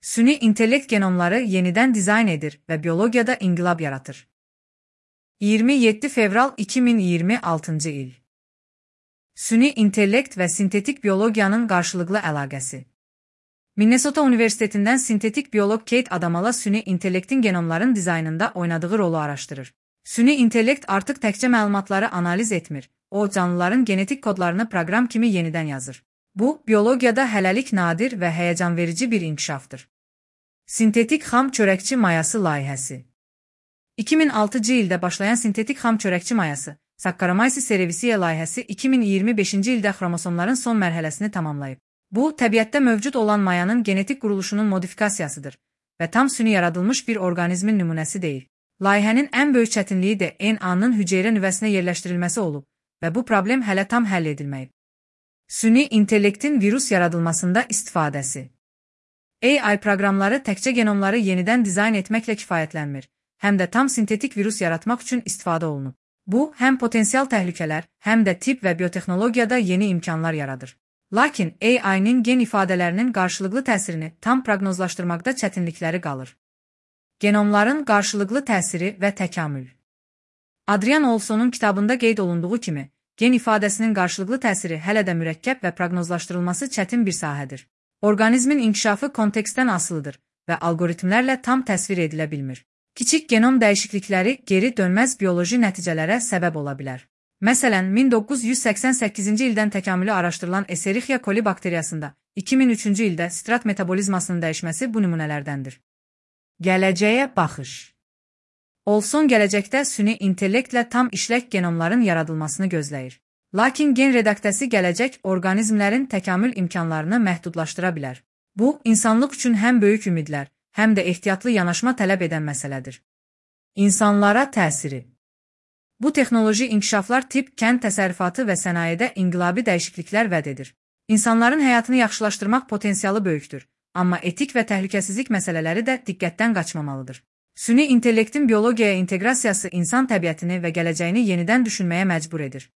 Süni intellekt genomları yeniden dizayn edir ve biyologiyada inqilab yaratır. 27 fevral 2026 il. Süni intellekt ve sintetik biyologiyanın qarşılıqlı əlaqəsi. Minnesota Universitetinden sintetik biyolog Kate Adamala süni intellektin genomların dizaynında oynadığı rolu araştırır. Süni intellekt artıq təkcə məlumatları analiz etmir, o canlıların genetik kodlarını proqram kimi yenidən yazır. Bu, biyologiyada hələlik nadir və həyəcanverici bir inkişafdır. Sintetik xam çörəkçi mayası layihəsi. 2006 ildə başlayan sintetik xam çörəkçi mayası, Saccharomyces cerevisiae layihəsi 2025-ci ildə xromosomların son mərhələsini tamamlayıb. Bu, təbiətdə mövcud olan mayanın genetik quruluşunun modifikasiyasıdır və tam süni yaradılmış bir orqanizmin nümunəsi deyil. Layihənin ən böyük çətinliyi də DNA-nın hüceyrə nüvəsinə yerləşdirilməsi olub və bu problem hələ tam həll edilməyib. Süni intellektin virus yaradılmasında istifadəsi. AI proqramları təkcə genomları yenidən dizayn etməklə kifayətlənmir, həm də tam sintetik virus yaratmaq üçün istifadə olunub. Bu, həm potensial təhlükələr, həm də tibb və biotexnologiyada yeni imkanlar yaradır. Lakin AI-nin gen ifadələrinin qarşılıqlı təsirini tam proqnozlaşdırmaqda çətinlikləri qalır. Genomların qarşılıqlı təsiri və təkamül. Adrian Olsonun kitabında qeyd olunduğu kimi, gen ifadəsinin qarşılıqlı təsiri hələ də mürəkkəb və proqnozlaşdırılması çətin bir sahədir. Orqanizmin inkişafı kontekstdən asılıdır və algoritmlərlə tam təsvir edilə bilmir. Kiçik genom dəyişiklikləri geri dönməz bioloji nəticələrə səbəb ola bilər. Məsələn, 1988-ci ildən təkamülü araşdırılan Escherichia coli bakteriyasında 2003-cü ildə strat metabolizmasının dəyişməsi bu nümunələrdəndir. Gələcəyə baxış. Olson gələcəkdə süni intellektlə tam işlək genomların yaradılmasını gözləyir. Lakin gen redaktəsi gələcək orqanizmlərin təkamül imkanlarını məhdudlaşdıra bilər. Bu, insanlıq üçün həm böyük ümidlər, həm də ehtiyatlı yanaşma tələb edən məsələdir. İnsanlara təsiri. Bu texnoloji inkişaflar tibb, kənd təsərrüfatı və sənayedə inqilabi dəyişikliklər vəd edir. İnsanların həyatını yaxşılaşdırmaq potensialı böyükdür, amma etik və təhlükəsizlik məsələləri də diqqətdən qaçmamalıdır. Süni intellektin biologiyaya inteqrasiyası insan təbiətini və gələcəyini yenidən düşünməyə məcbur edir.